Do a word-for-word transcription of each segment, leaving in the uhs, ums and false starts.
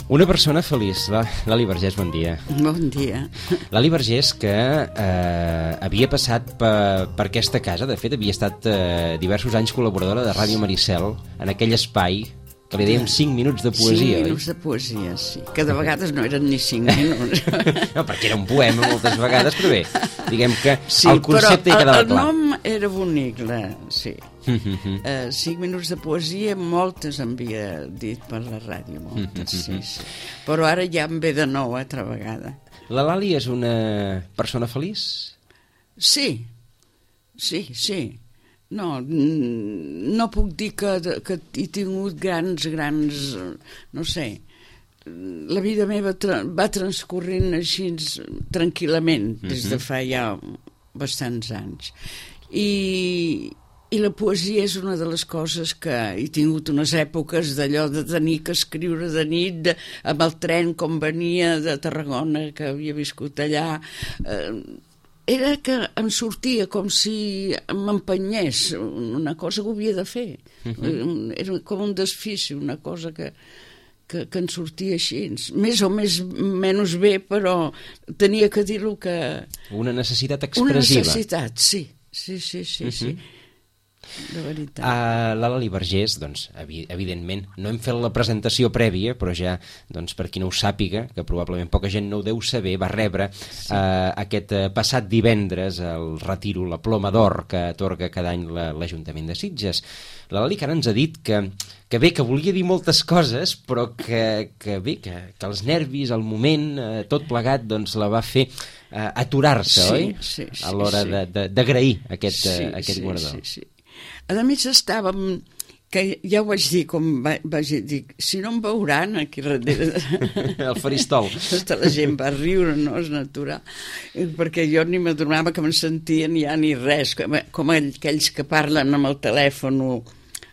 Una persona feliç, Lali Vergés, bon dia. Bon dia. Lali Vergés, que eh, havia passat per, per aquesta casa, de fet havia estat eh, diversos anys col·laboradora de Ràdio Maricel, en aquell espai que li dèiem cinc minuts de poesia, cinc minuts oi? de poesia, sí. Que de vegades no eren ni cinc minuts. No, perquè era un poema moltes vegades, però bé, diguem que sí, el concepte hi quedava el clar. El nom era bonic, la, sí. uh, cinc minuts de poesia, moltes en havia dit per la ràdio, moltes, sí, sí. Però ara ja em ve de nou, altra vegada. La Lali és una persona feliç? Sí, sí, sí. No, no puc dir que, que he tingut grans, grans, no sé, la vida meva tra va transcorrent així tranquil·lament des de fa ja bastants anys. I, i la poesia és una de les coses que he tingut unes èpoques d'allò de tenir que escriure de nit, de, amb el tren com venia de Tarragona, que havia viscut allà, eh, era que em sortia com si m'empenyés, una cosa que ho havia de fer. Uh-huh. Era com un desfici, una cosa que, que, que en sortia així. Més o més, menys bé, però tenia que dir-ho que... Una necessitat expressiva. Una necessitat, sí. Sí, sí, sí, uh-huh. sí. De veritat. Uh, la Lali Vergés, doncs, evi evidentment, no hem fet la presentació prèvia, però ja, doncs, per qui no ho sàpiga, que probablement poca gent no ho deu saber, va rebre sí. uh, aquest uh, passat divendres el retiro, la ploma d'or que atorga cada any l'Ajuntament de Sitges. La Lali que ara ens ha dit que, que bé, que volia dir moltes coses, però que, que bé, que, que els nervis, el moment, uh, tot plegat, doncs, la va fer uh, aturar-se, sí, oi? Sí, sí, a l'hora sí. d'agrair aquest, sí, uh, aquest sí, guardó. Sí, sí. A més estàvem, que ja ho vaig dir, com va, vaig dir, si no em veuran aquí darrere... El faristol. Tota la gent va riure, no? És natural. Perquè jo ni m'adonava que me'n sentien ja ni res, com, com aquells que parlen amb el telèfon,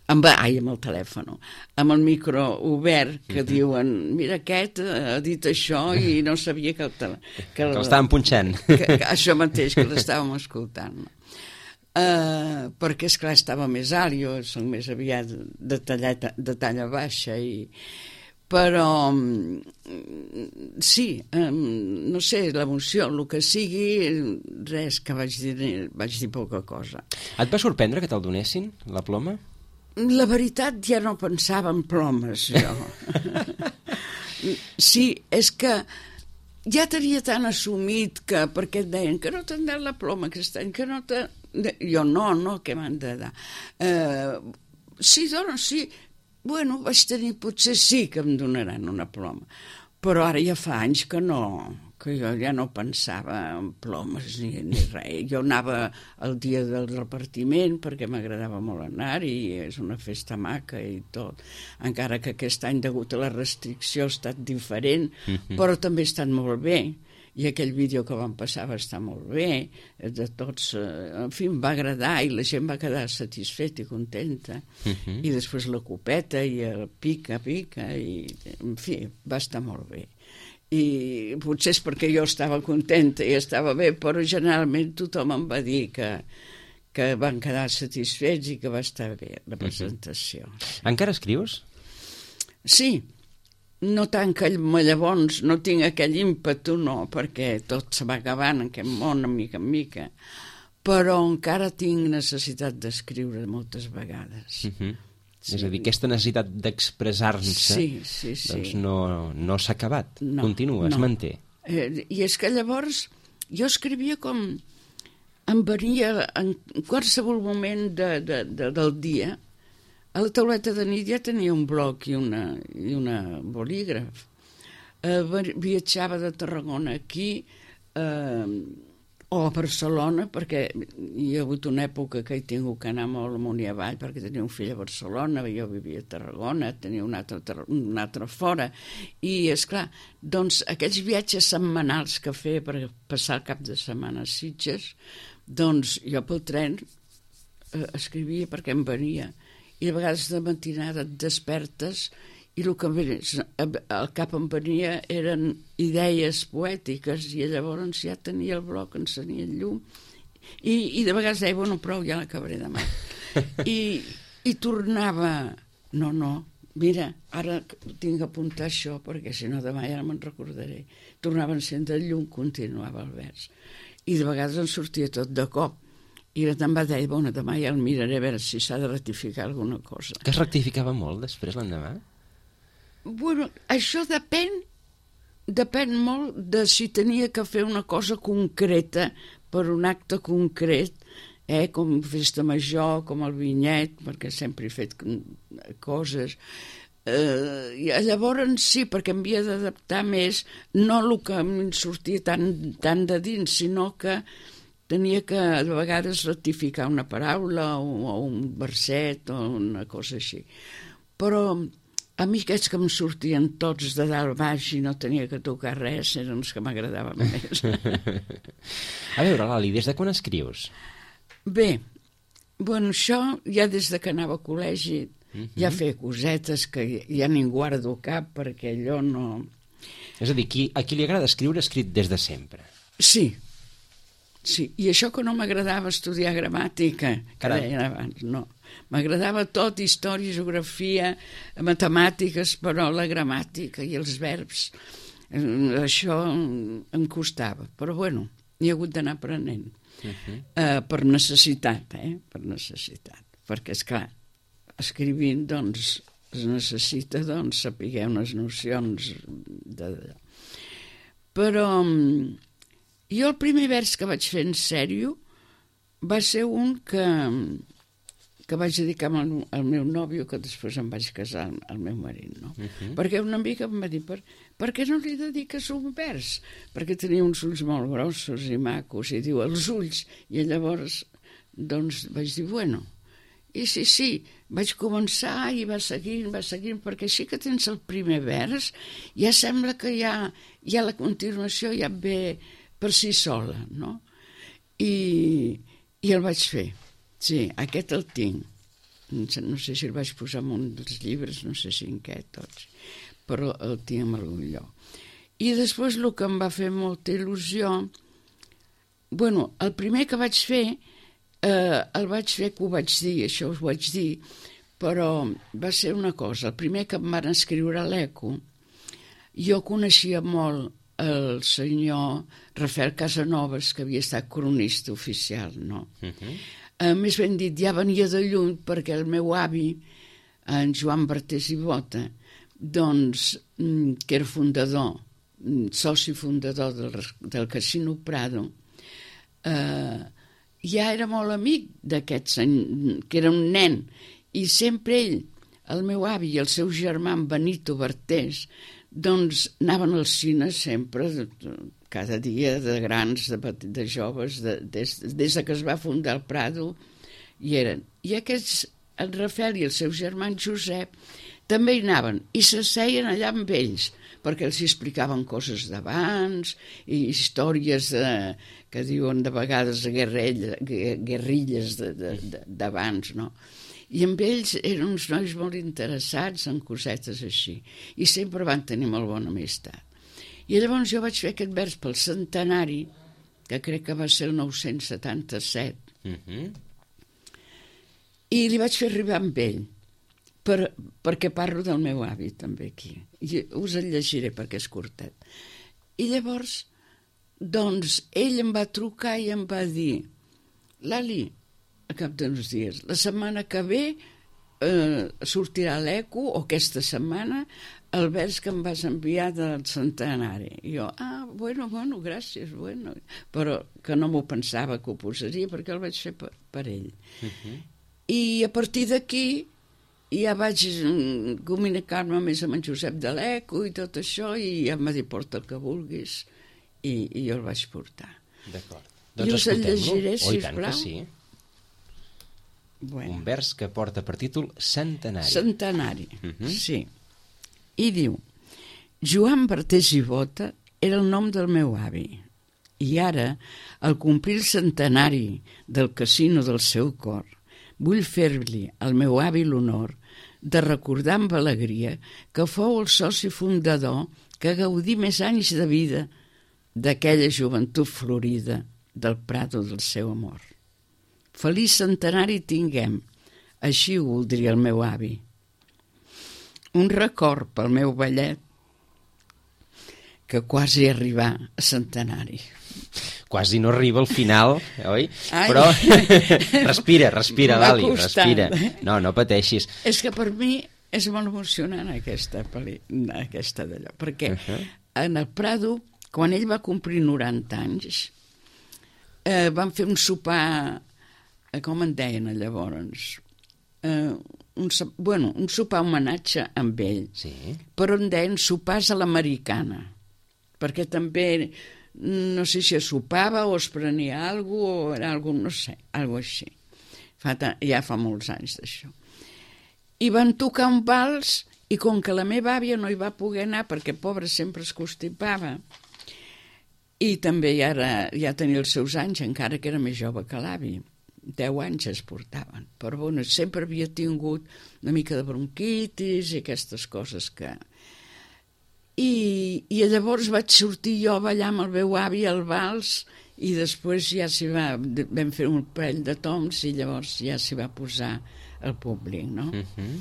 amb, ai, amb el telèfon, amb el micro obert, que uh-huh. diuen, mira, aquest ha dit això i no sabia que... El tele... que l'estàvem punxant. Que, que això mateix, que l'estàvem escoltant. Uh, perquè esclar estava més alt, jo soc més aviat de, talla, de talla baixa i... però sí, um, no sé, l'emoció, el que sigui, res, que vaig dir, vaig dir poca cosa. Et va sorprendre que te'l donessin, la ploma? La veritat, ja no pensava en plomes, jo. Sí, és que ja tenia tan assumit que, perquè et deien que no t'han dat la ploma aquest any, que no t'ha... Jo no, no, què m'han de dar? Uh, sí, dona, sí. Bueno, vaig tenir, potser sí que em donaran una ploma. Però ara ja fa anys que no, que jo ja no pensava en plomes ni, ni res. Jo anava el dia del repartiment perquè m'agradava molt anar-hi, és una festa maca i tot. Encara que aquest any, degut a la restricció, ha estat diferent, mm-hmm. però també ha estat molt bé. I aquell vídeo que vam passar va estar molt bé, de tots, en fi, em va agradar i la gent va quedar satisfeta i contenta. Uh-huh. I després la copeta i el pica, pica, i en fi, va estar molt bé. I potser és perquè jo estava contenta i estava bé, però generalment tothom em va dir que, que van quedar satisfets i que va estar bé la presentació. Uh-huh. Encara escrius? Sí. No tant que llavors no tinc aquell ímpetu, no, perquè tot se va acabant en aquest món, a mica en mica, però encara tinc necessitat d'escriure moltes vegades. Uh-huh. Sí. És a dir, aquesta necessitat d'expressar-se sí, sí, sí. doncs no, no s'ha acabat, no, continua, no. es manté. Eh, I és que llavors jo escrivia com em venia en qualsevol moment de, de, de, del dia. A la tauleta de nit ja tenia un bloc i una, i una bolígraf. Eh, viatjava de Tarragona aquí, eh, o a Barcelona, perquè hi ha hagut una època que he tingut que anar molt amunt i avall, perquè tenia un fill a Barcelona, jo vivia a Tarragona, tenia un altre, un altre fora, i esclar, doncs aquells viatges setmanals que feia per passar el cap de setmana a Sitges, doncs jo pel tren eh, escrivia perquè em venia, i de vegades de matinada et despertes i el que al cap em venia eren idees poètiques, i llavors ja tenia el bloc, encenia el llum, i, i de vegades deia, bueno, prou, ja l'acabaré demà. I, i tornava, no, no, mira, ara tinc que apuntar això, perquè si no demà ja no me'n recordaré. Tornava a encendre el llum, continuava el vers. I de vegades em sortia tot de cop. I la te'n va dir, bueno, demà ja el miraré a veure si s'ha de rectificar alguna cosa. Que es rectificava molt després l'endemà? Bueno, això depèn, depèn molt de si tenia que fer una cosa concreta per un acte concret, eh, com festa major, com el vinyet, perquè sempre he fet coses. Eh, i llavors sí, perquè em havia d'adaptar més, no el que em sortia tan, tan de dins, sinó que tenia que a vegades rectificar una paraula o, o un verset o una cosa així. Però a mi aquests que em sortien tots de dalt baix i no tenia que tocar res eren els que m'agradaven més. A veure, Lali, des de quan escrius? Bé, bueno, això ja des de que anava a col·legi uh-huh. ja feia cosetes que ja ni guardo cap perquè allò no... És a dir, qui, a qui li agrada escriure, ha escrit des de sempre. Sí, sí, i això que no m'agradava estudiar gramàtica, que Caram. deien abans, no. M'agradava tot, història, geografia, matemàtiques, però la gramàtica i els verbs, eh, això em costava. Però bueno, hi ha hagut d'anar aprenent. Uh-huh. eh, per necessitat, eh? Per necessitat. Perquè, esclar, escrivint, doncs, es necessita, doncs, saber unes nocions de... Però jo el primer vers que vaig fer en sèrio va ser un que, que vaig dedicar al, al meu nòvio, que després em vaig casar, al meu marit, no? Uh-huh. Perquè una amiga em va dir, per, per què no li dediques un vers? Perquè tenia uns ulls molt grossos i macos, i diu, els ulls. I llavors, doncs, vaig dir, bueno, i sí, sí, vaig començar i va seguint, va seguint, perquè així que tens el primer vers, ja sembla que ja, ja la continuació ja ve per si sola, no? I, i el vaig fer. Sí, aquest el tinc. No sé si el vaig posar en un dels llibres, no sé si en què, tots, però el tinc en algun lloc. I després el que em va fer molta il·lusió, bueno, el primer que vaig fer, eh, el vaig fer que ho vaig dir, això us ho vaig dir, però va ser una cosa, el primer que em van escriure a l'Eco, jo coneixia molt el senyor Rafael Casanovas, que havia estat cronista oficial, no? Uh-huh. Uh, més ben dit, ja venia de lluny perquè el meu avi, en Joan Bartés i Bota, doncs, que era fundador, soci fundador del, del Casino Prado, eh, ja era molt amic d'aquest senyor, que era un nen, i sempre ell, el meu avi i el seu germà, Benito Bartés, doncs anaven al cine sempre, cada dia, de grans, de, de joves, de, des, des que es va fundar el Prado, hi eren. I aquests, el Rafael i el seu germà Josep, també hi anaven, i s'asseien allà amb ells, perquè els explicaven coses d'abans, i històries de, que diuen de vegades guerrilla, guerrilles d'abans, no? I amb ells eren uns nois molt interessats en cosetes així, i sempre van tenir molt bona amistat. I llavors jo vaig fer aquest vers pel centenari, que crec que va ser el nou-cents setanta-set, uh-huh. i li vaig fer arribar amb ell, per, perquè parlo del meu avi també aquí. I us el llegiré perquè és curtet. I llavors, doncs, ell em va trucar i em va dir, Lali, a cap d'uns dies, la setmana que ve eh, sortirà a l'Eco, o aquesta setmana, el vers que em vas enviar del centenari. I jo, ah, bueno, bueno, gràcies, bueno. Però que no m'ho pensava que ho posaria, perquè el vaig fer per, per ell. Uh-huh. I a partir d'aquí ja vaig comunicar-me més amb en Josep de l'Eco i tot això, i ja em va dir, porta el que vulguis, i, i jo el vaig portar. D'acord. Doncs I us el llegiré, sisplau. Oh, i tant que sí. Bueno. Un vers que porta per títol Centenari. Centenari, uh-huh. Sí. I diu, Joan Bartés i Bota era el nom del meu avi, i ara, al complir el centenari del casino del seu cor, Vull fer-li al meu avi l'honor de recordar amb alegria que fou el soci fundador que gaudí més anys de vida d'aquella joventut florida del prado del seu amor. Feliç centenari tinguem, així ho voldria el meu avi. Un record pel meu vellet que quasi arribar a centenari. Quasi no arriba al final, oi? Ai. Però respira, respira, M'ha Lali, costat. respira. No, no pateixis. És que per mi és molt emocionant aquesta, pel·li, aquesta d'allò, perquè uh-huh. en el Prado, quan ell va complir noranta anys, eh, van fer un sopar, eh, com en deien llavors, eh, un, bueno, un sopar homenatge amb ell, Sí. però en deien sopars a l'americana, perquè també no sé si es sopava o es prenia alguna cosa, o era alguna, no sé, alguna així. Fa, ja fa molts anys d'això. I van tocar un vals, i com que la meva àvia no hi va poder anar, perquè pobra sempre es constipava, i també ja, era, ja tenia els seus anys, encara que era més jove que l'avi, deu anys es portaven, però bueno, sempre havia tingut una mica de bronquitis i aquestes coses que... I, i llavors vaig sortir jo a ballar amb el meu avi al vals i després ja s'hi va, vam fer un parell de toms i llavors ja s'hi va posar el públic, no? Uh-huh.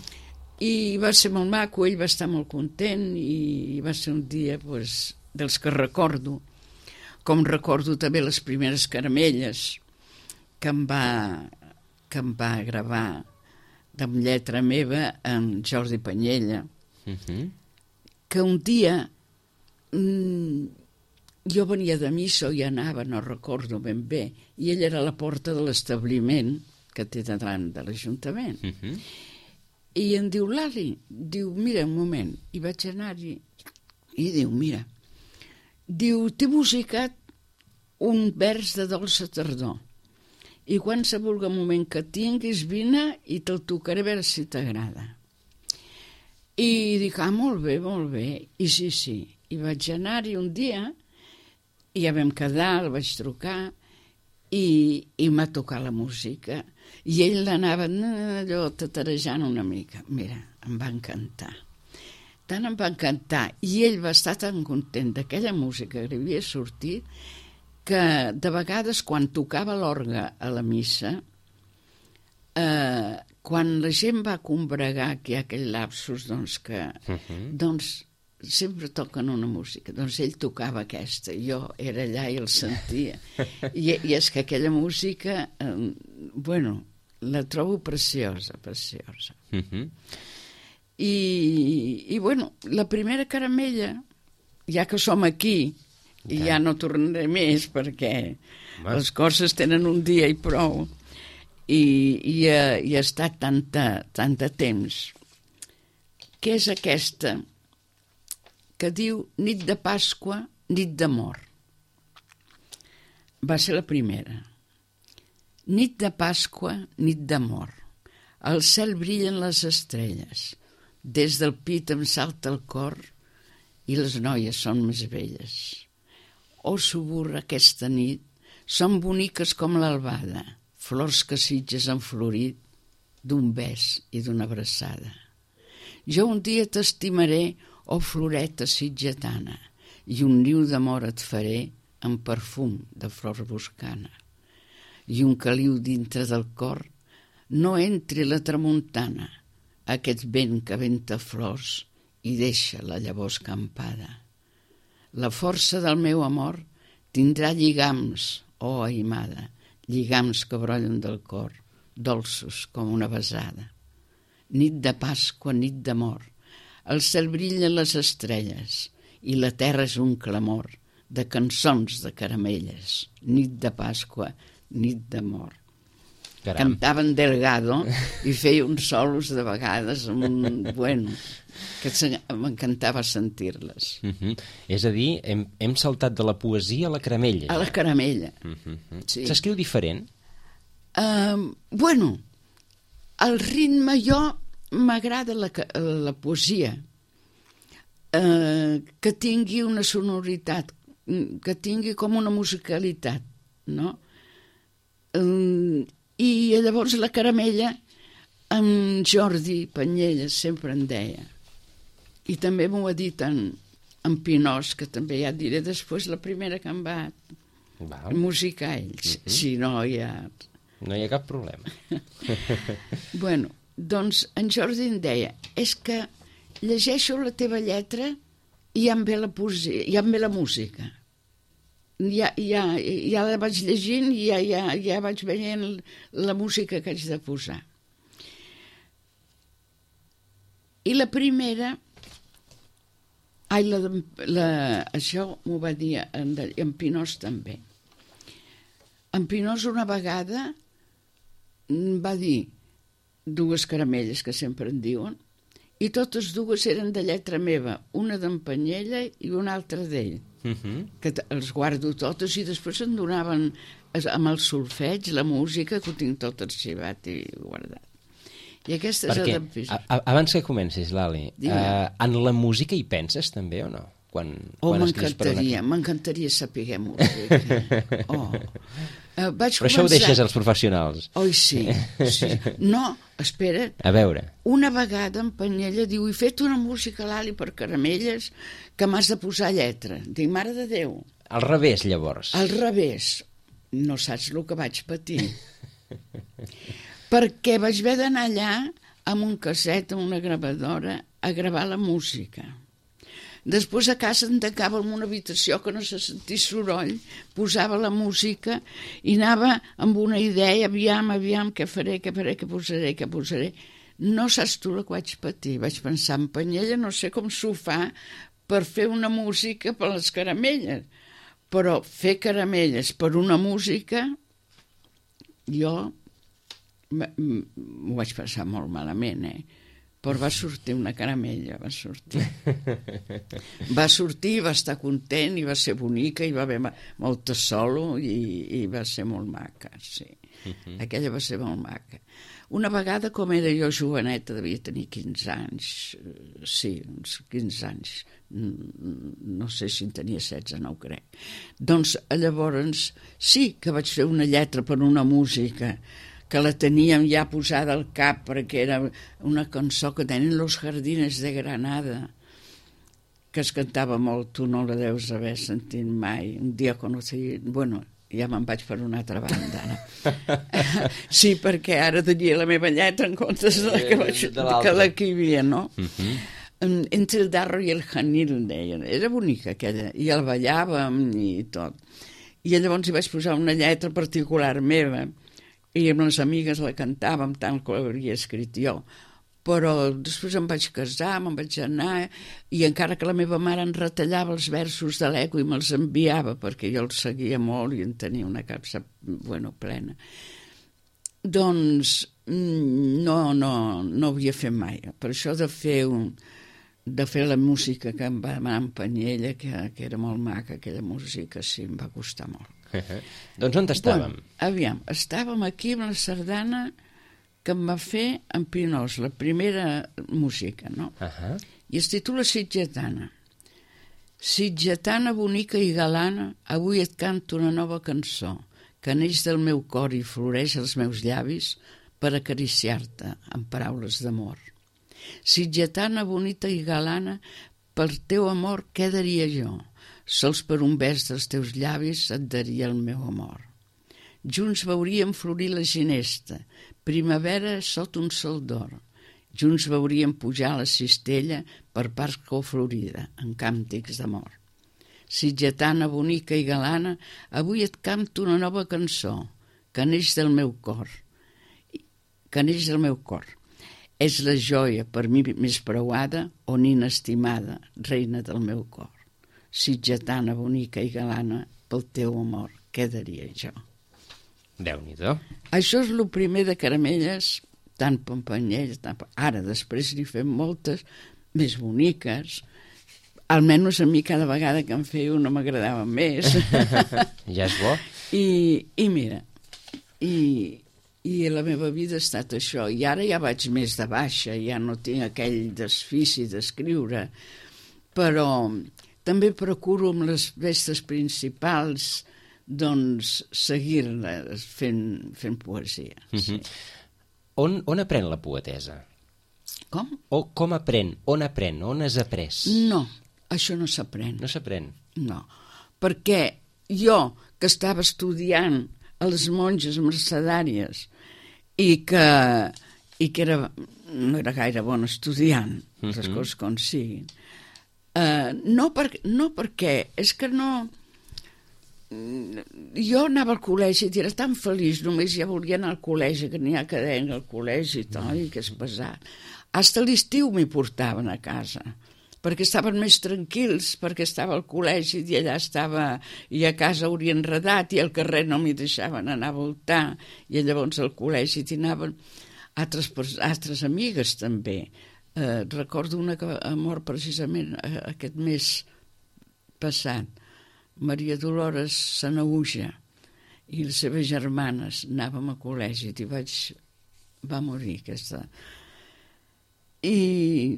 I va ser molt maco, ell va estar molt content i va ser un dia pues, dels que recordo, com recordo també les primeres caramelles que em va, que em va gravar amb lletra meva en Jordi Panyella. Uh-huh. Que un dia mmm, jo venia de missa i anava, no recordo ben bé, i ell era a la porta de l'establiment que té davant de l'Ajuntament. Uh-huh. I em diu, Lali, diu, mira, un moment, i vaig anar-hi, i diu, mira, diu, t'he musicat un vers de dolça tardor, i qualsevol moment que tinguis, vine i te'l tocaré a veure si t'agrada. I dic, ah, molt bé, molt bé. I sí, sí. I vaig anar-hi un dia, i ja vam quedar, el vaig trucar, i, i m'ha tocat la música. I ell l'anava allò tatarejant una mica. Mira, em va encantar. Tant em va encantar. I ell va estar tan content d'aquella música que li havia sortit que de vegades quan tocava l'orgue a la missa, eh, quan la gent va combregar, que hi ha aquell lapsus, doncs que uh-huh. doncs sempre toquen una música. Doncs ell tocava aquesta, jo era allà i el sentia. I, i és que aquella música, eh, bueno, la trobo preciosa, preciosa. Uh-huh. I, I, bueno, la primera caramella, ja que som aquí, okay. i ja no tornaré més, perquè Mas. les coses tenen un dia i prou, i, i, ha, i ha estat tanta, tanta temps, que és aquesta que diu nit de Pasqua, nit d'amor. Va ser la primera. Nit de Pasqua, nit d'amor. Al cel brillen les estrelles, des del pit em salta el cor i les noies són més velles. Oh, suburra aquesta nit, són boniques com l'albada, flors que sitges han florit d'un bes i d'una abraçada. Jo un dia t'estimaré, oh floreta sitgetana, i un niu d'amor et faré amb perfum de flor boscana. I un caliu dintre del cor, no entri la tramuntana, aquest vent que venta flors i deixa la llavor escampada. La força del meu amor tindrà lligams, oh aimada, lligams que brollen del cor, dolços com una besada. Nit de Pasqua, nit d'amor, al cel brillen les estrelles i la terra és un clamor de cançons de caramelles. Nit de Pasqua, nit d'amor. Caram. Cantaven Delgado i feia uns solos de vegades amb un... bueno, que m'encantava sentir-les. Uh-huh. És a dir, hem, hem saltat de la poesia a la caramella. A la caramella. Uh-huh. Sí. S'escriu diferent? Uh, bueno, el ritme, jo m'agrada la, la poesia, uh, que tingui una sonoritat, que tingui com una musicalitat, no? Uh, I llavors la caramella, en Jordi Panyelles sempre en deia, i també m'ho ha dit en, en Pinós, que també ja et diré després la primera que em va Val. musicar ells, uh-huh. si no hi ha... No hi ha cap problema. Bueno, doncs en Jordi em deia, és que llegeixo la teva lletra i ja em ve la, poesia, ja em ve la música. Ja, ja, ja la vaig llegint i ja, ja, ja vaig veient la música que haig de posar. I la primera, ai, la, la, això m'ho va dir en, en Pinós també. En Pinós una vegada va dir dues caramelles que sempre en diuen, i totes dues eren de lletra meva, una d'en Panyella i una altra d'ell. Uh-huh. Que els guardo totes i després em donaven amb el solfeig, la música, que ho tinc tot arxivat i guardat. I aquesta Perquè, és a, a, abans que comencis, Lali, uh, en la música hi penses també o no? Quan, oh, quan m'encantaria, una... m'encantaria saber música. Oh. Uh, vaig Però començar... això ho deixes als professionals. Oi, sí, sí. No, espera. A veure. Una vegada en Panyella diu, he fet una música, Lali, per caramelles, que m'has de posar lletra. Dic, mare de Déu. Al revés, llavors. Al revés. No saps el que vaig patir. Perquè vaig haver d'anar allà amb un casset, amb una gravadora, a gravar la música. Després a casa em tancava en una habitació que no se sentís soroll, posava la música i anava amb una idea, aviam, aviam, què faré, què faré, què posaré, què posaré. No saps tu el que vaig patir. Vaig pensar, en Panyella no sé com s'ho fa per fer una música per les caramelles, però fer caramelles per una música, jo m'ho vaig passar molt malament, eh? Però va sortir una caramella, va sortir. Va sortir, va estar content i va ser bonica i va haver molta solo i, i va ser molt maca, sí. Uh-huh. Aquella va ser molt maca. Una vegada, com era jo joveneta, devia tenir quinze anys, sí, uns quinze anys, no sé si en tenia setze, no ho crec. Doncs llavors sí que vaig fer una lletra per una música que la teníem ja posada al cap perquè era una cançó que tenen Los Jardines de Granada, que es cantava molt, tu no la deus haver sentit mai. Un dia conocí... Bueno, ja me'n vaig per una altra banda, no? Sí, perquè ara tenia la meva lletra en comptes de la que, vaig, de que la que hi havia, no? Uh-huh. Entre el darro i el janil, deien. Era bonica aquella, i el ballàvem i tot. I llavors hi vaig posar una lletra particular meva, i amb les amigues la cantàvem tant que l'hauria escrit jo, però després em vaig casar, me'n vaig anar, i encara que la meva mare en retallava els versos de l'eco i me'ls enviava, perquè jo els seguia molt i en tenia una capsa, bueno, plena. Doncs no, no, no havia fet mai. Per això de fer, un, de fer la música que em va demanar en Panyella, que, que era molt maca, aquella música, sí, em va costar molt. Doncs on estàvem? Bueno, aviam, estàvem aquí amb la sardana que em va fer en Pinós, la primera música, no? Uh-huh. I es titula Sitgetana. Sitgetana bonica i galana, avui et canto una nova cançó que neix del meu cor i floreix als meus llavis per acariciar-te amb paraules d'amor. Sitgetana bonita i galana, per teu amor què daria jo? Sols per un vers dels teus llavis et daria el meu amor. Junts veuríem florir la ginesta, primavera sota un sol d'or. Junts veuríem pujar la cistella per Pasqua florida, en càntics d'amor. Sitgetana bonica i galana, avui et canto una nova cançó, que neix del meu cor. Que neix del meu cor. És la joia per mi més preuada o nina estimada, reina del meu cor. Sitgetana bonica i galana, pel teu amor, què daria jo? Déu-n'hi-do. Això és el primer de caramelles, tant Panyella, tant... Ara, després n'hi fem moltes més boniques. Almenys a mi cada vegada que en feia una m'agradava més. Ja és bo. I, i mira, i, i la meva vida ha estat això. I ara ja vaig més de baixa, ja no tinc aquell desfici d'escriure, però... També procuro amb les festes principals doncs, seguir-la fent, fent poesia. Uh-huh. Sí. On, on aprèn la poetesa? Com? O com aprèn? On aprèn? On has après? No, això no s'aprèn. No s'aprèn? No, perquè jo, que estava estudiant a les monges mercedàries i que, i que era, no era gaire bon estudiant, les uh-huh. coses com siguin, uh, no, per, no perquè, és que no... Jo anava al col·legi i era tan feliç, només ja volia anar al col·legi, que n'hi ha cadena al col·legi i tot, i que és pesat. Hasta l'estiu m'hi portaven a casa, perquè estaven més tranquils, perquè estava al col·legi i allà estava, i a casa hauria enredat, i al carrer no m'hi deixaven anar a voltar, i llavors al col·legi t'hi anaven altres, altres amigues també. Eh, recordo una que ha mort precisament aquest mes passat, Maria Dolores Sanaüja, i les seves germanes, anàvem a col·legi, i vaig... va morir aquesta... I,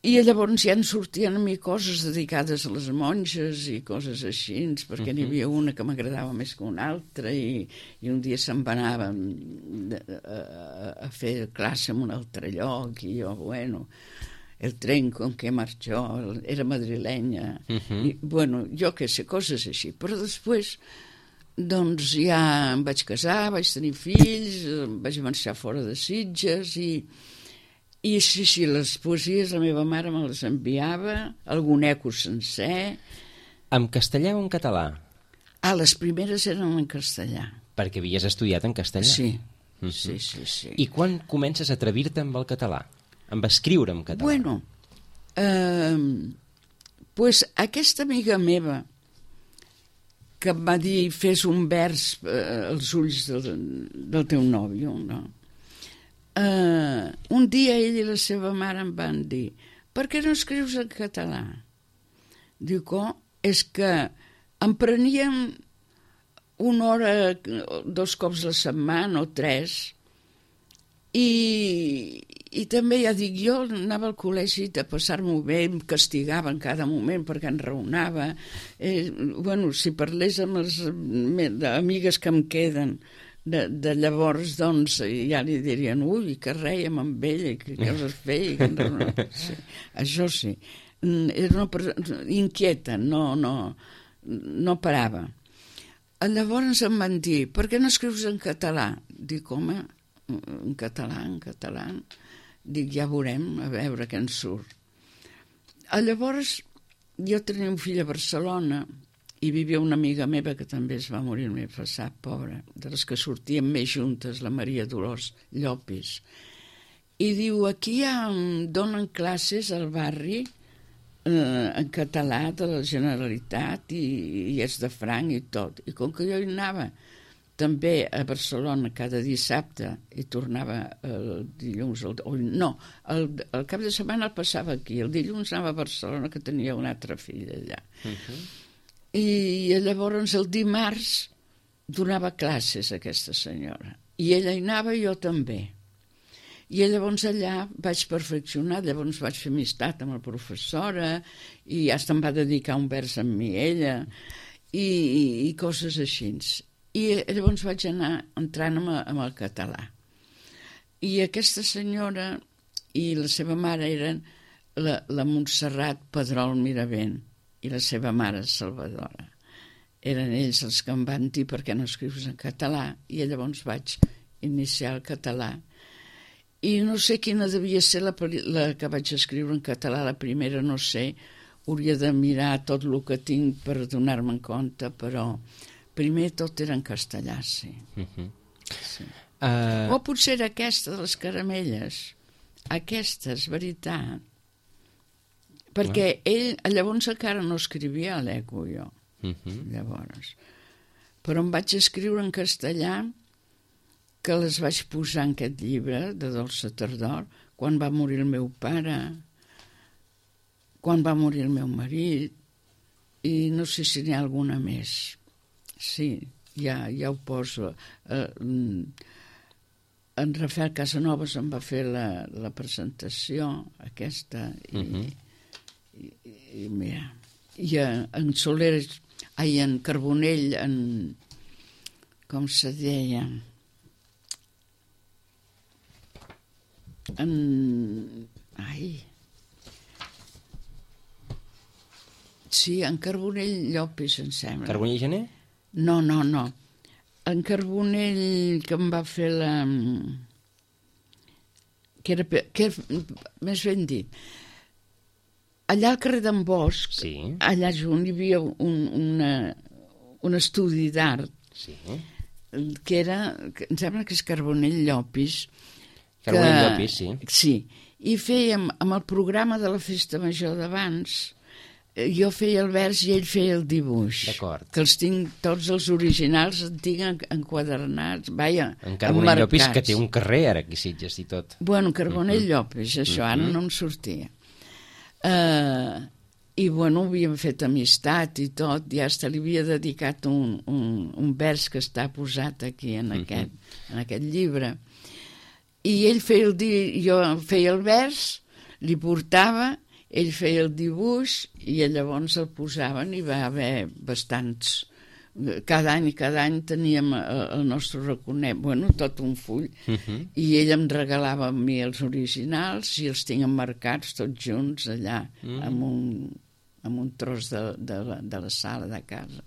i llavors ja en sortien a mi coses dedicades a les monges i coses així, perquè uh-huh. n'hi havia una que m'agradava més que una altra, i, i un dia se'n va anar a, a, a fer classe en un altre lloc, i jo, bueno... el tren con que marxó, era madrilenya, uh-huh. i, bueno, jo què sé, coses així. Però després, doncs ja em vaig casar, vaig tenir fills, vaig marxar fora de Sitges, i, i sí, sí, les poesies la meva mare me les enviava, algun eco sencer. En castellà o en català? Ah, les primeres eren en castellà. Perquè havies estudiat en castellà? Sí, uh-huh. sí, sí, sí. I quan comences a atrevir-te amb el català? Amb escriure en català? Bueno, eh, pues aquesta amiga meva que em va dir fes un vers eh, als ulls del, del teu nòvio, no? Eh, un dia ell i la seva mare em van dir per què no escrius en català? Dic, oh, és que em preníem una hora, dos cops la setmana o tres, i, i també ja dic, jo anava al col·legi de passar-m'ho bé, em castigava en cada moment perquè em raonava. Eh, bueno, si parlés amb les amigues que em queden de, de llavors, doncs ja li dirien, ui, que rèiem amb ella, que coses feia. Que sí, això sí. Era una persona inquieta, no, no, no parava. Llavors em van dir, per què no escrius en català? Dic, home, en català, en català. Dic, ja veurem, a veure què en surt. Llavors, jo tenia un fill a Barcelona i vivia una amiga meva que també es va morir el mes passat, pobra, de les que sortíem més juntes, la Maria Dolors Llopis. I diu, aquí ja donen classes al barri eh, en català de la Generalitat i, i és de franc i tot. I com que jo hi anava també a Barcelona cada dissabte i tornava el dilluns, el, o, no, el, el cap de setmana el passava aquí, el dilluns anava a Barcelona que tenia un altre fill allà. Uh-huh. I llavors el dimarts donava classes a aquesta senyora i ella hi anava i jo també. I llavors allà vaig perfeccionar, llavors vaig fer amistat amb la professora i ja se'm va dedicar un vers amb mi ella i, i, i coses així. I llavors vaig anar entrant amb, amb el català. I aquesta senyora i la seva mare eren la, la Montserrat Pedrol Miravent i la seva mare Salvadora. Eren ells els que em van dir per què no escrius en català i llavors vaig iniciar el català. I no sé quina devia ser la, la que vaig escriure en català, la primera no sé, hauria de mirar tot el que tinc per donar-me en compte, però primer tot era en castellà, sí. Uh-huh. Sí. Uh... O potser era aquesta de les caramelles. Aquesta, és veritat. Perquè uh. ell, llavors encara no escrivia a l'eco, jo. Uh-huh. Llavors. Però em vaig escriure en castellà que les vaig posar en aquest llibre de Dolça Tardor quan va morir el meu pare, quan va morir el meu marit, i no sé si n'hi ha alguna més. Sí, ja, ja ho poso. Eh, en Rafael Casanovas em va fer la, la presentació aquesta i, uh-huh. i, i, i mira, i en Soler ai, en Carbonell, en... com se deia? En... ai... sí, en Carbonell Llopis, em sembla. Carbonell Gener? No, no, no. En Carbonell, que em va fer la... que era, que era més ben dit, allà al carrer d'en Bosch, Sí. allà junt hi havia un, una, un estudi d'art, Sí. que era, que em sembla que és Carbonell Llopis. Carbonell que- Llopis, sí. Sí, i fèiem, amb el programa de la Festa Major d'abans, eh, jo feia el vers i ell feia el dibuix. D'acord. Que els tinc, tots els originals en tinc en- enquadernats, vaja, En Carbonell Llopis, que emmarcats. té un carrer ara aquí a Sitges i tot. Bueno, Carbonell Llopis, això, ara no em sortia. Uh, I, bueno, havíem fet amistat i tot, i hasta li havia dedicat un, un, un vers que està posat aquí en, aquest, en aquest llibre. I ell feia el, di... jo feia el vers, li portava, ell feia el dibuix i llavors el posaven i va haver bastants... Cada any i cada any teníem el, el nostre raconet, bueno, tot un full, Uh-huh. i ell em regalava a mi els originals i els tinc emmarcats tots junts allà, mm. amb, un, amb un tros de, de, la, de la sala de casa.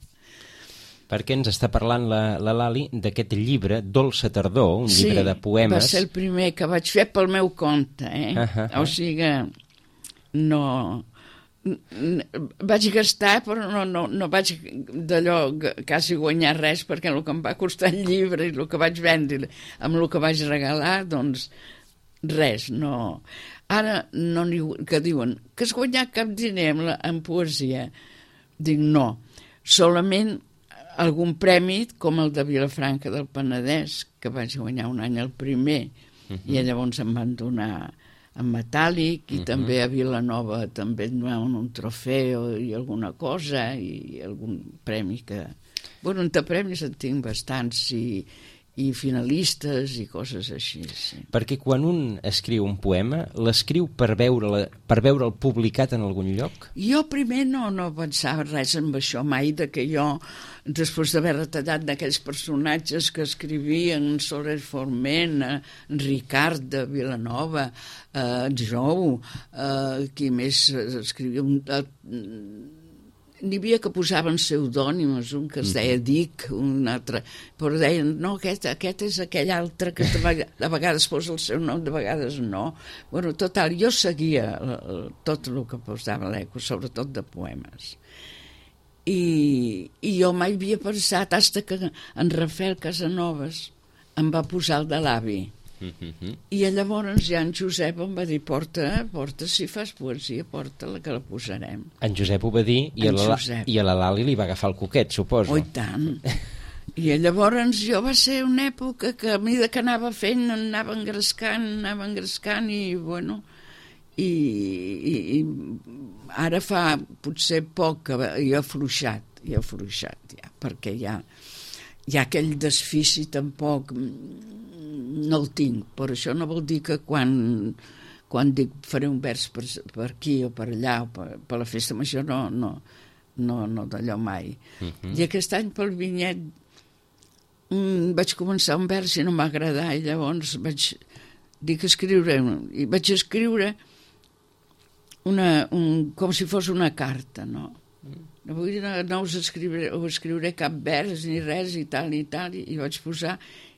Perquè ens està parlant la, la Lali d'aquest llibre, Dolça Tardor, un llibre de poemes. Va ser el primer que vaig fer pel meu compte, eh? Ah, ah, ah. O sigui, no... n- vaig gastar, però no, no, no vaig d'allò g- quasi guanyar res, perquè el que em va costar el llibre i el que vaig vendre amb el que vaig regalar, doncs res, no. Ara no n'hi, que diuen que has guanyat cap diner en, la, en poesia. Dic no, solament algun premi com el de Vilafranca del Penedès, que vaig guanyar un any el primer, uh-huh. i llavors em van donar en metàl·lic, i uh-huh. també a Vilanova també em donaven un trofeu i alguna cosa, i algun premi que... Bueno, entre premis en tinc bastants, i, i finalistes i coses així, sí. Perquè quan un escriu un poema, l'escriu per veure per veure'l publicat en algun lloc? Jo primer no, no pensava res amb això mai, de que jo, després d'haver retallat d'aquells personatges que escrivien, en Soler Forment, en Ricard de Vilanova, eh, en Jou, eh, qui més escrivia... Un, eh, n'hi havia que posaven pseudònims, un que es deia Dic, un altre, però deien, no, aquest, aquest és aquell altre que de vegades, de vegades posa el seu nom, de vegades no. Bueno, total, jo seguia el, tot el que posava l'Eco, sobretot de poemes. I, i jo mai havia pensat, fins que en Rafael Casanovas em va posar el de l'avi. Uh-huh. I llavors ja en Josep em va dir, porta, porta, si fas poesia, porta-la, que la posarem. En Josep ho va dir i a, En la, Josep. i a la Lali li va agafar el coquet, suposo. Oh, i tant. I llavors jo va ser una època que a mesura que anava fent anava engrescant, anava engrescant i bueno, i, i, i ara fa potser poc que he afluixat, he afluixat ja, perquè ja, ja aquell desfici tampoc no el tinc, però això no vol dir que quan, quan dic faré un vers per, per aquí o per allà o per, per la festa major no, no, no, no d'allò mai. Uh-huh. I aquest any pel vinyet mm, vaig començar un vers i no m'ha agradat, i llavors vaig dir que escriure, i vaig escriure una, un, com si fos una carta, no? No, vull dir, no, no us escriuré, us escriuré cap vers ni res i tal i tal, i, i vaig posar,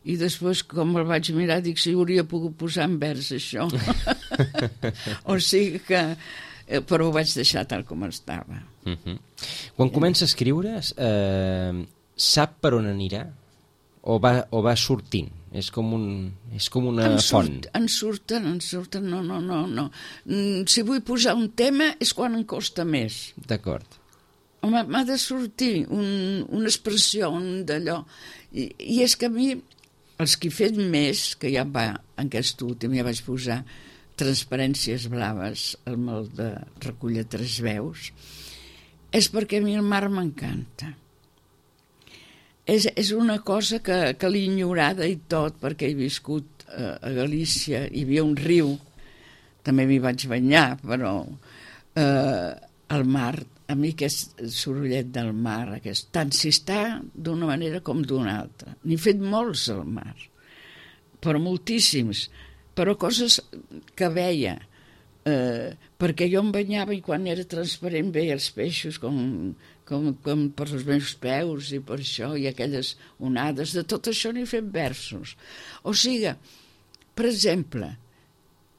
i després com el vaig mirar dic si hauria pogut posar en vers això. O sigui que però ho vaig deixar tal com estava. Uh-huh. Quan comença a escriure eh, sap per on anirà o va, o va sortint? És com, un, és com una en font. Surt, en surten, en surten, no, no, no, no. Mm, si vull posar un tema és quan em costa més. D'acord. Home, m'ha de sortir un, una expressió, un d'allò. I, I és que a mi, els que he fet més, que ja va, en aquest últim ja vaig posar transparències blaves, el mal de recollir tres veus, és perquè a mi el mar m'encanta. És, és una cosa que, que l'he ignorada i tot, perquè he viscut eh, a Galícia, hi havia un riu, també m'hi vaig banyar, però... Eh, el mar, a mi aquest sorollet del mar, aquest, tant si està d'una manera com d'una altra. N'he fet molts al mar, però moltíssims, però coses que veia, eh, perquè jo em banyava i quan era transparent veia els peixos com, com, com per els meus peus i per això, i aquelles onades, de tot això n'he fet versos. O sigui, per exemple,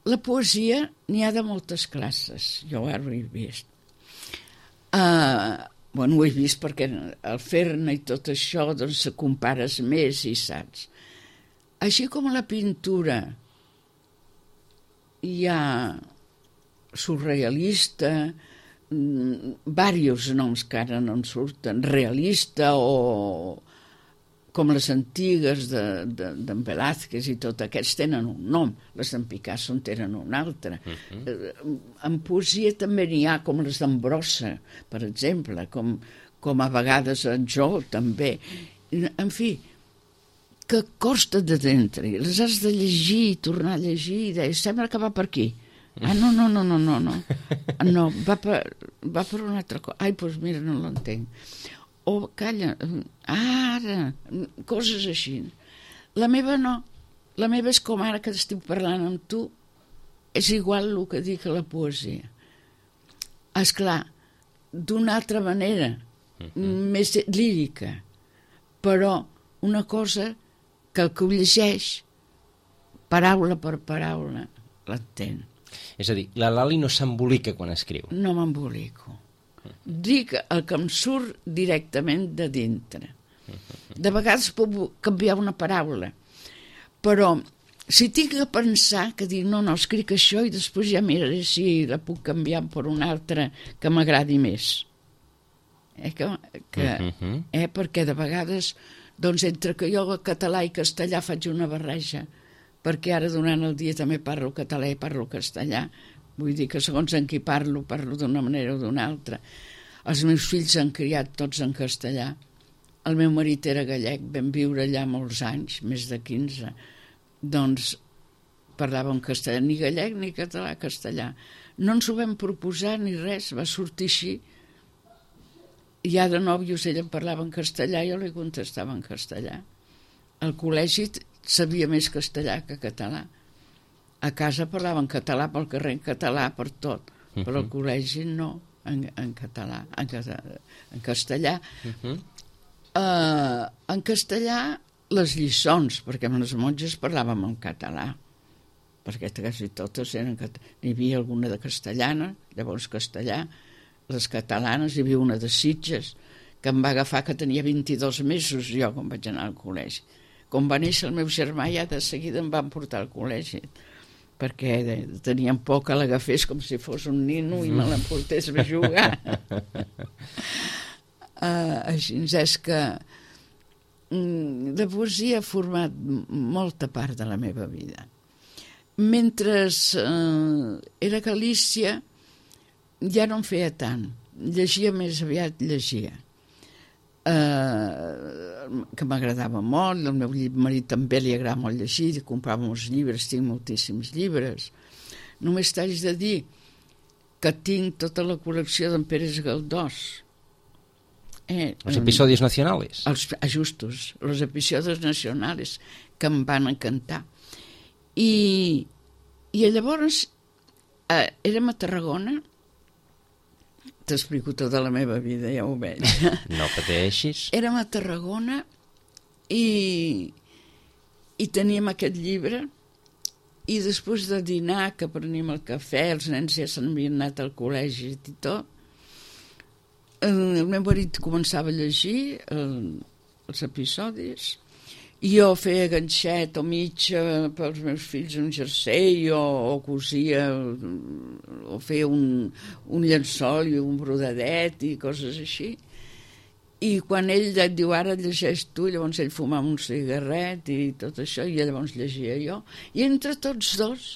la poesia n'hi ha de moltes classes, jo ara ho he vist. Uh, bueno, ho he vist perquè al fer-ne i tot això doncs se compares més i saps. Així com a la pintura hi ha surrealista, diversos noms que ara no en surten, realista o com les antigues d'en de, de, Velázquez i tot, aquests tenen un nom, les d'en Picasso en tenen un altre. Uh-huh. En poesia també n'hi ha com les d'en Brossa, per exemple, com, com a vegades en Jo també. En fi, que costa de dintre, les has de llegir i tornar a llegir i deia, sembla que va per aquí. Ah, no, no, no, no, no, no, no va, per, va per una altra cosa. Ai, doncs mira, no l'entenc. O calla, ara, coses així. La meva no, la meva és com ara que estic parlant amb tu, és igual el que dic a la poesia. Esclar, d'una altra manera, uh-huh. més lírica, però una cosa que el que ho llegeix, paraula per paraula, l'entén. És a dir, la Lali no s'embolica quan escriu. No m'embolico. Dic el que em surt directament de dintre. De vegades puc canviar una paraula, però si tinc que pensar que dic no, no, escric això i després ja miraré si la puc canviar per una altra que m'agradi més. Eh, que, que, uh-huh. eh, perquè de vegades doncs entre que jo català i castellà faig una barreja, perquè ara durant el dia també parlo català i parlo castellà. Vull dir que segons en qui parlo, parlo d'una manera o d'una altra. Els meus fills s'han criat tots en castellà. El meu marit era gallec, vam viure allà molts anys, més de quinze. Doncs parlava en castellà, ni gallec ni català, castellà. No ens ho vam proposar ni res, va sortir així. Ja de nòvios ella em parlava en castellà, jo li contestava en castellà. Al col·legi sabia més castellà que català. A casa parlaven català, pel carrer en català, per tot, uh-huh. però al col·legi no, en, en català, en, en castellà. Uh-huh. Uh, en castellà, les lliçons, perquè amb les monges parlàvem en català, perquè quasi totes eren català. N'hi havia alguna de castellana, llavors castellà, les catalanes, hi havia una de Sitges, que em va agafar que tenia vint-i-dos mesos jo quan vaig anar al col·legi. Com va néixer el meu germà, ja de seguida em van portar al col·legi, perquè tenien por que l'agafés com si fos un nino i me l'emportés a jugar. uh, així és que mm, la poesia ha format molta part de la meva vida. Mentre uh, era a Galícia ja no em feia tant, llegia més aviat, llegia. Uh, que m'agradava molt, el meu marit també li agrada molt llegir, comprava molts llibres, tinc moltíssims llibres. Només t'haig de dir que tinc tota la col·lecció d'en Pérez Galdós. Eh, els episodis nacionals? Els ajustos, els episodis nacionals que em van encantar. I, i llavors eh, érem a Tarragona. T'explico tota la meva vida, ja ho veig. No pateixis. Érem a Tarragona i, i teníem aquest llibre i després de dinar, que preníem el cafè, els nens ja s'havien anat al col·legi i tot, el meu marit començava a llegir el, els episodis i jo feia ganxet o mitja pels meus fills un jersei o, o cosia o feia un, un llençol i un brodadet i coses així. I quan ell et diu ara llegeix tu, llavors ell fumava un cigarret i tot això, i llavors llegia jo. I entre tots dos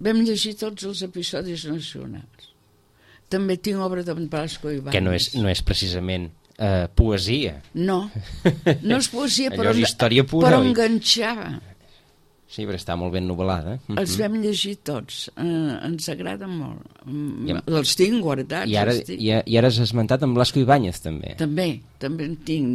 vam llegir tots els episodis nacionals. També tinc obra d'en Blasco Ibáñez. Que no és, no és precisament Uh, poesia. No, no és poesia, però, és història pura, però oi? enganxava. Sí, però està molt ben novel·lada. Els vam llegir tots, eh, ens agrada molt. I, els tinc guardats. I ara, tinc. i, i ara has esmentat en Blasco Ibáñez, també. També, també en tinc,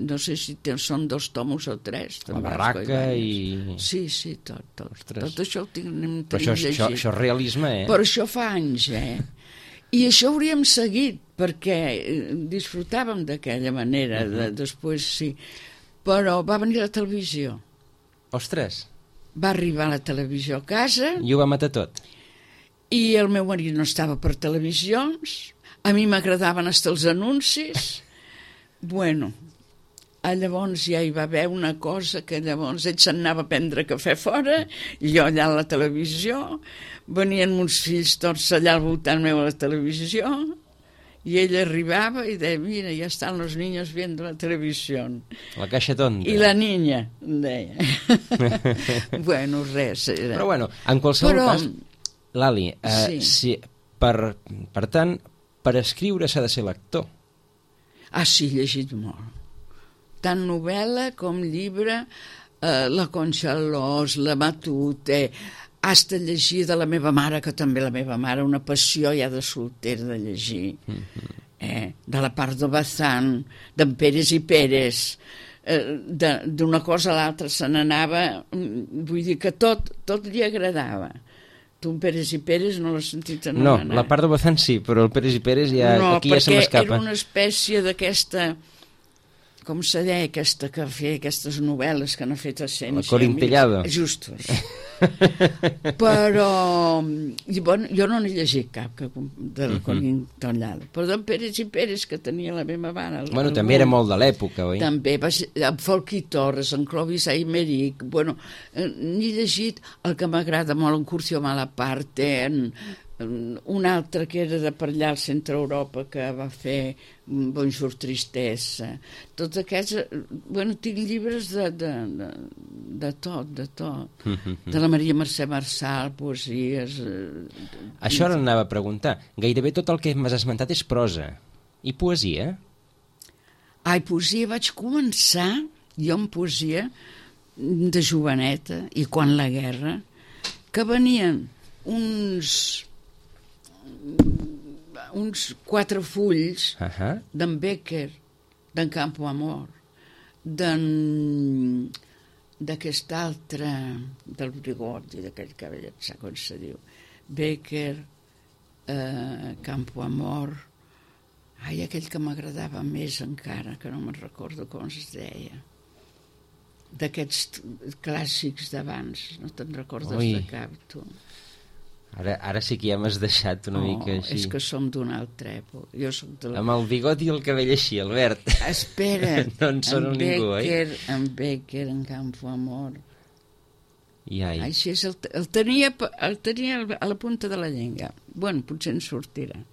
no sé si ten, són dos tomos o tres. La barraca i... Sí, sí, tot, tot. Ostres. Tot això ho tinc, tenim però això, llegit. Això, això és realisme, eh? Però això fa anys, eh? I això hauríem seguit, perquè disfrutàvem d'aquella manera, uh-huh. de, després sí. Però va venir la televisió. Ostres! Va arribar a la televisió a casa... I ho va matar tot. I el meu marit no estava per televisions, a mi m'agradaven hasta els anuncis. Bueno, llavors ja hi va haver una cosa que llavors ell se'n anava a prendre cafè fora, i jo allà a la televisió, venien uns fills tots allà al voltant meu a la televisió, i ell arribava i deia, mira, ja estan los niños viendo la televisión. La caixa tonta. I la niña, deia. Bueno, res. Era. Però bueno, en qualsevol Però, cas, Lali, eh, sí. si, per, per tant, per escriure s'ha de ser lector. Ah, sí, he llegit molt. Tant novel·la com llibre, eh, la Concha Alòs, la Matute, hasta llegir de la meva mare, que també la meva mare, una passió ja de soltera de llegir, mm-hmm. eh, de la Pardo Bazán, d'en Pérez i Pérez, eh, d'una cosa a l'altra se n'anava, vull dir que tot, tot li agradava. Tu, en Pérez i Pérez, no l'has sentit anomenar? No, la Pardo Bazán sí, però el Pérez i Pérez ja, no, aquí ja se m'escapa. No, perquè era una espècie d'aquesta... com se deia aquesta que feia aquestes novel·les que n'ha fet a cent. El Corintellado. Justos. Però i bueno, jo no n'he llegit cap que, del uh-huh. Corintellado. Però d'en Pérez i Pérez, que tenia la meva mare. Bueno, també era molt de l'època, oi? També, va ser, en Folchi Torres, en Clovis Aymeric, bueno, eh, n'he llegit el que m'agrada molt, en Curcio Malaparte, en, un altre que era de per allà al centre Europa que va fer Bonjour Tristesa, tots aquests, bueno, tinc llibres de, de, de, de tot, de tot, de la Maria Mercè Marçal, poesies... Això ara anava a preguntar, gairebé tot el que m'has esmentat és prosa, i poesia? Ai, poesia vaig començar, jo en poesia, de joveneta, i quan la guerra, que venien uns... uns quatre fulls uh-huh. d'en Becker, d'en Campo Amor, d'en... d'aquest altre, del Brigoti, d'aquell cavallet, sap com se diu, Becker, eh, Campo Amor, ai, aquell que m'agradava més encara, que no me'n recordo com es deia, d'aquests clàssics d'abans, no te'n recordes Ui. de cap, tu. Ara, ara sí que ja m'has deixat una oh, mica així. És que som d'una altra època. Jo soc de la... Amb el bigot i el cabell així, Albert. Espera, no en sona ningú, Becker, oi? En Becker, en Campo Amor. I ai. Així és, el, el, tenia, el tenia a la punta de la llengua. Bueno, potser en sortirà.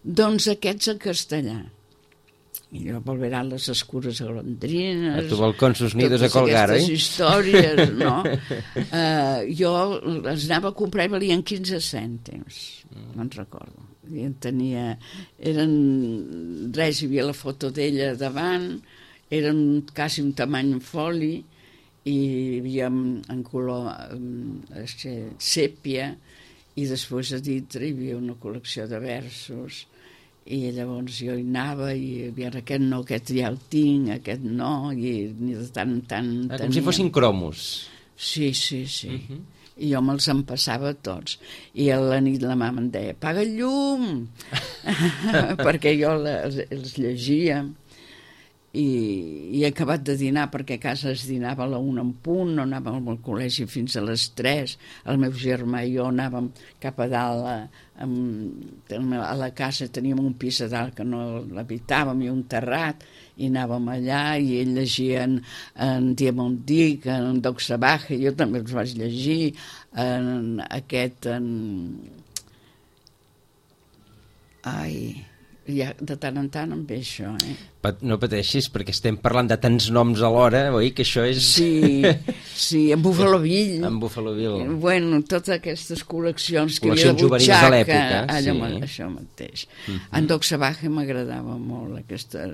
Doncs aquests en castellà. I jo volverán les escures golondrines... A tu balcons sus nidos a colgar, oi? Totes aquestes històries, no? uh, jo les anava a comprar i valien quinze cèntims, mm. no en recordo. I en tenia... Eren... Res, hi havia la foto d'ella davant, eren quasi un tamany en foli, i hi havia en color eh, sèpia, i després a dintre hi havia una col·lecció de versos, i llavors jo hi anava i havia aquest no, aquest ja el tinc, aquest no, i de tant en tant ah, com si fossin cromos. Sí, sí, sí. Uh-huh. I jo me'ls empassava tots. I a la nit la mama em deia, apaga el llum! Perquè jo els, els llegia. I, i he acabat de dinar, perquè a casa es dinava a la una en punt, no anàvem al col·legi fins a les tres, el meu germà i jo anàvem cap a dalt a, a, a la casa, teníem un pis a dalt que no l'habitàvem i un terrat, i anàvem allà i ell llegia en, en Diamond Dick, en Doc Savage, jo també els vaig llegir, en aquest en... ai... ja, de tant en tant em ve això, eh? No pateixis, perquè estem parlant de tants noms alhora, oi? Que això és... Sí, sí, en Buffalo Bill. En Buffalo Bill. Bueno, totes aquestes col·leccions que col·leccions havia de butxaca, de l'època, allò, sí. Això mateix. Uh-huh. En Doc Savage m'agradava molt, aquesta,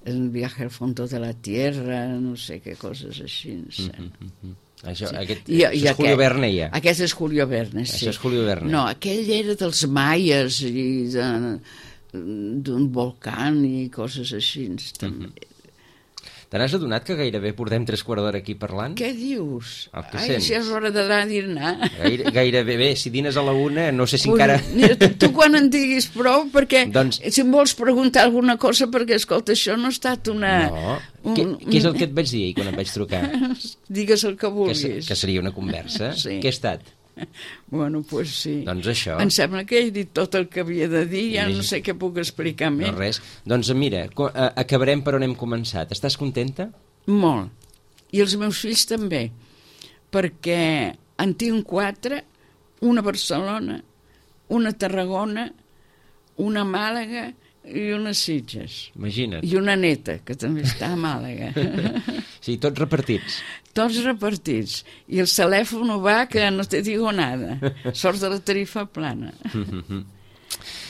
el viaje al fondo de la tierra, no sé què coses així. No sé. Uh-huh. Això, Sí. aquest, I, això és Julio Verne, ja. Aquest és Julio Verne, sí. Això és Julio Verne. No, aquell era dels maies i de, d'un volcà i coses així. També. Mm-hmm. Te n'has adonat que gairebé portem tres quarts d'hora aquí parlant? Què dius? El que Ai, sents. si és hora d'anar a dinar. Gaire, gairebé bé, si dines a la una, no sé si Pues, encara... Mira, tu, tu quan en diguis prou, perquè Doncs- si em vols preguntar alguna cosa, perquè, escolta, això no ha estat una... No. un- Què, què és el que et vaig dir ahir quan et vaig trucar? Digues el que Que, vulguis. se- que seria una conversa? Sí. Què ha estat? Bueno, doncs pues sí. Doncs això. Em sembla que he dit tot el que havia de dir, ja Més- no sé què puc explicar més. No res. Doncs mira, co- eh, acabarem per on hem començat. Estàs contenta? Molt. I els meus fills també, perquè en tinc quatre, una a Barcelona, una a Tarragona, una a Màlaga i una a Sitges. Imagina't. I una neta, que també està a Màlaga. Sí, tots repartits. Tots repartits. I el telèfon no va, que no te digo nada. Sort de la tarifa plana.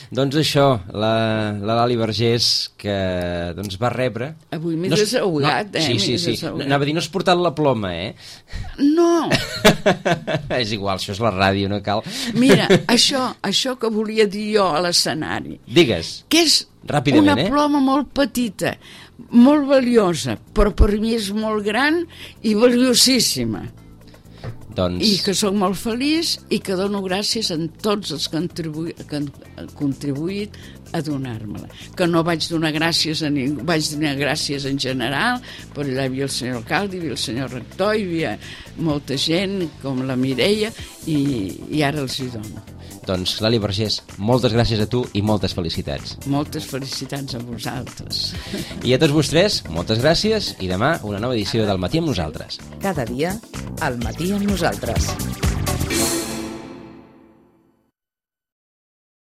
Doncs això, la, la Lali Vergés, que doncs, va rebre... Avui m'he No es- desahogat, no, eh? Sí, m'he sí, sí. desahogat. Anava a dir, no has portat la ploma, eh? No! És igual, això és la ràdio, no cal. Mira, això, això que volia dir jo a l'escenari, Digues. que és Ràpidament, una eh? ploma molt petita, molt valiosa, però per mi és molt gran i valiosíssima. Doncs... I que sóc molt feliç i que dono gràcies a tots els que han, tribui, que han contribuït a donar-me-la. Que no vaig donar gràcies a ningú, vaig donar gràcies en general, però allà hi havia el senyor alcalde, hi havia el senyor rector, hi havia molta gent, com la Mireia, i, i ara els hi dono. Doncs, Lali Vergés, moltes gràcies a tu i moltes felicitats. Moltes felicitats a vosaltres. I a tots vostès, moltes gràcies i demà una nova edició del Matí amb nosaltres. Cada dia, al matí amb nosaltres.